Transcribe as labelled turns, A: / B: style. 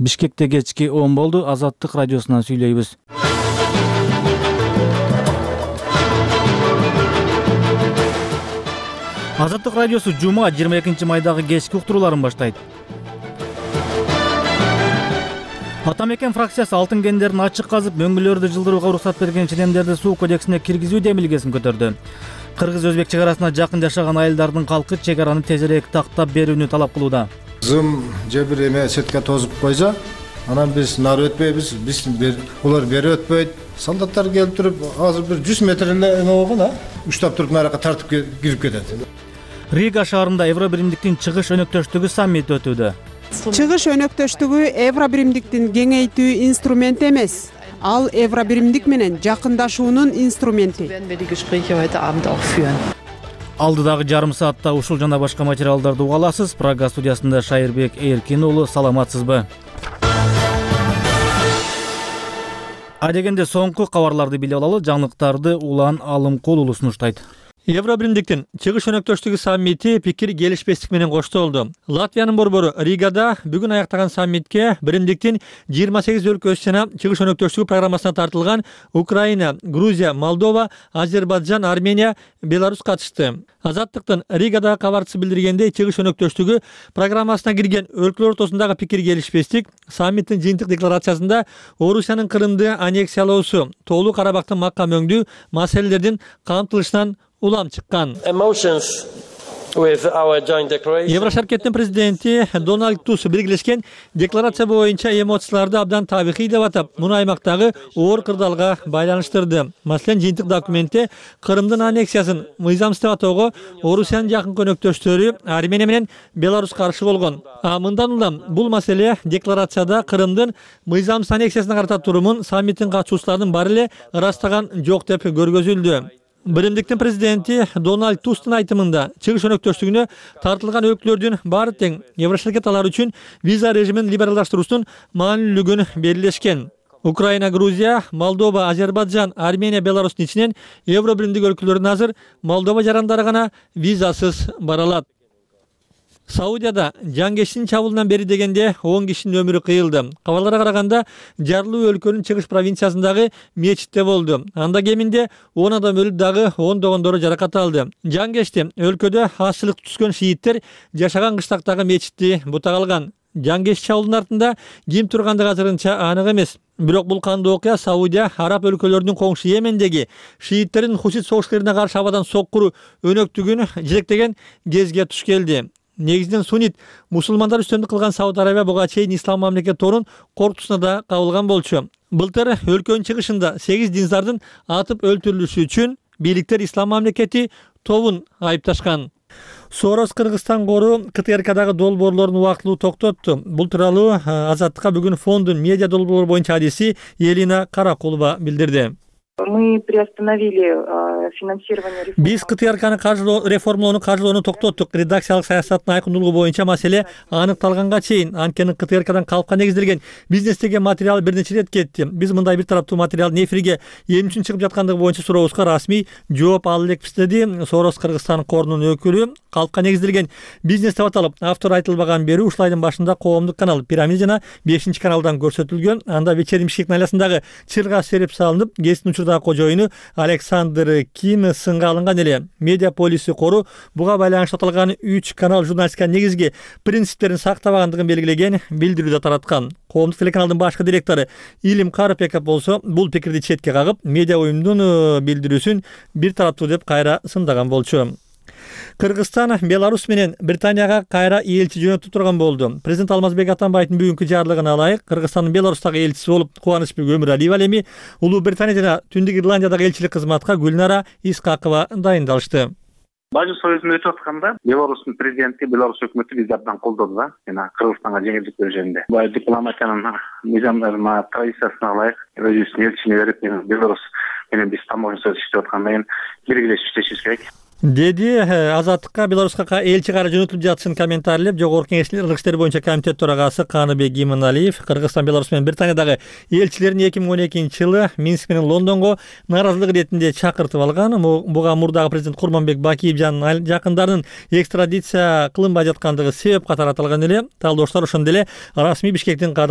A: Бишкекте кечки 10 болду. Азаттык радиосунан сүйлөйбүз. Азаттык радиосу жума 22 майдагы кечки уктурууларын баштайт. Ата мекен фракциясы алтын кендерин ачык казып, мөңгүлөрдү жылдырууга уруксат берген ченемдерди суу кодексине киргизүү демилгесин көтөрдү. Кыргыз-өзбек чек арасына жакын жашаган айылдардын калкы чек араны тезирээк тактап берүүнү талап кылууда.
B: Зым же бир эме сетке тозуп койсо, анан биз нары өтпөйбүз, улар бери өтпөйт. Солдаттар келип туруп, азыр бир 100 метр эле эме болгон, уштап туруп наракка тартып кирип кетет.
A: Рига шаарында Евробиримдиктин чыгыш өнөктөштүгү саммити өтүүдө.
C: Чыгыш өнөктөштүгү Евробиримдиктин кеңейтүү инструменти эмес. Ал Евробиримдик менен жакындашуунун инструменти.
A: Алдыдагы жарым саатта ушул жана башка материалдарды уга аласыз. Прага студиясында Шайырбек Эркин уулу, саламатсызбы? Адегенде соңку кабарларды билип алалы. Жаңылыктарды Улан Алымкул уулу сунуштайт.
D: Евробиримдиктин чыгыш өнөктөштүгү саммити пикир келишпестик менен коштолду. Латвиянын борбору Ригада бүгүн аяктаган саммитке биримдиктин 28 өлкөсү жана чыгыш өнөктөштүгү программасына тартылган Украина, Грузия, Молдова, Азербайджан, Армения, Беларусь катышты. Азаттыктын Ригадагы кабарчысы билдиргендей, чыгыш өнөктөштүгү программасына кирген өлкөлөр ортосундагы пикир келишпестик саммиттин жыйынтык декларациясында Орусиянын Крымды аннексиялоосу, Тоолуу Карабактын макка мөңдүү маселелердин камтылышынан улам чыккан. Еврошаркеттин президенти Дональд Туск биргелешкен декларация боюнча эмоцияларды абдан табигый деп атап, муну аймактагы оор кырдаалга байланыштырды. Маселен, жыйынтык документте Крымдын аннексиясын мыйзамсыз деп атоого Орусиянын жакын өнөктөштөрү Армения менен Беларусь каршы болгон. Мындан улам бул маселе декларацияда Крымдын мыйзамсыз аннексиясына карата турумун саммиттин катышуучуларынын баары эле ырастаган жок деп көргөзүлдү. Биримдиктин президенти Дональд Тусктун айтымында чыгыш өнөктөштүгүнө тартылган өлкөлөрдүн баары тең Еврошаркет алар үчүн виза режимин либералдаштыруусунун маанилүүлүгүн белгилешкен. Украина, Грузия, Молдова, Азербайджан, Армения, Беларустун ичинен Евробиримдик өлкөлөрдүн азыр Молдова жарандары гана визасыз бара алат. Саудияда жаңгештин чабуулунан бери дегенде 10 кишинин өмүрү кыйылды. Кабарларга караганда жарлуу өлкөнүн чыгыш провинциясындагы мечитте болду. Анда кеминде 10 адам өлүп, дагы ондогондору жаракат алды. Жаңгешти өлкөдө аччылык түскөн шииттер жашаган кыштактагы мечитти бутак алган. Жаңгеш чабуулунун артында ким тургандыгы азырынча анык эмес. Бирок бул кандуу окуя Саудия араб өлкөлөрүнүн коңшу Йемендеги шииттердин Хусит согушкерлерине каршы абадан соккуруу өнөктүгүн жетектеген кезге туш келди. Негизинен суннит мусулмандар үстөмдүк кылган Сауд Арабия буга чейин ислам мамлекет торун коркутусуна да кабылган болчу. Былтыр өлкөнүн чыгышында 8 диндардын атып өлтүрүлүшү үчүн бийликтер ислам мамлекети тобун айыпташкан. Сорос Кыргызстан кору КТРКдагы долбоорлорун убактылуу токтотту. Бул тууралуу Азаттыкка бүгүн фондун медиа долбоорлор боюнча адиси Елена Каракулова билдирди.
E: Мы приостановили финансирование реформы.
D: Биз КТРКны реформалоону каржылоону токтоттук. Редакциялык саясаттын айкындуулугу боюнча маселе аныкталганга чейин. Анткени КТРКдан калпка негизделген бизнестеги материал бир нече ирет кетти. Биз мындай бир тараптуу материалдын эфирге эмне үчүн чыгып жаткандыгы боюнча сурообузга расмий жооп ала элекпиз, деди Сорос Кыргызстан корунун өкүлү. Калпка негизделген бизнес деп аталып, автор айтылбаган берүү ушул айдын башында коомдук канал Пирамида жана 5-каналдан көрсөтүлгөн. Анда вечерний Бишкек найласындагы чырга серип салынып, гесттин учурдагы кожоюну Александр Ким сынга алынган эле. Медиа полиси кору буга байланыштуу аталган 3 канал журналистика негизги принциптерин сактабагандыгын белгилеген билдирүүдө тараткан. Коомдук телеканалдын башкы директору Илим Карапеков болсо бул пикирди четке кагып, медиа уюмдун билдирүүсүн бир тараптуу деп кайра сындаган болчу. Кыргызстан Беларусь менен Британияга кайра элчи жөнөтүп турган болду. Президент Алмазбек Атамбаевдин бүгүнкү жарлыгына ылайык Кыргызстандын Беларустагы элчиси болуп Кубанычбек Өмүралиев ал эми Улуу Британия жана Түндүк Ирландиядагы элчилик кызматка Гүлнара Искакова дайындалышты.
F: Бажы союзун өтүп атканда Беларустун президенти, Беларусь өкмөтү бизди абдан колдоду да, жана Кыргызстанга жеңилдик берүү жөнүндө. Бул дипломатиянын мыйзамдарына, традициясына ылайык өзүбүздүн элчини берип, Беларусь менен биз тамоша сөз иштеп аткандан кийин биргелешип иштешибиз керек,
D: деди Азаттыкка Беларуска элчи кайра жөнөтүлүп жатышын комментарийлеп Жогорку Кеңештин ыргыз иштери боюнча комитет төрагасы Каныбек Иманалиев Кыргызстан, Беларусь менен Британиядагы элчилерин 2012-жылы Минск менен Лондонго нааразылык иретинде чакыртып алган. Буга мурдагы президент Курманбек Бакиев жана жакындарынын экстрадиция кылынбай жаткандыгы себеп катары аталган эле. Талдоочулар ошондо эле расмий Бишкектин кадамы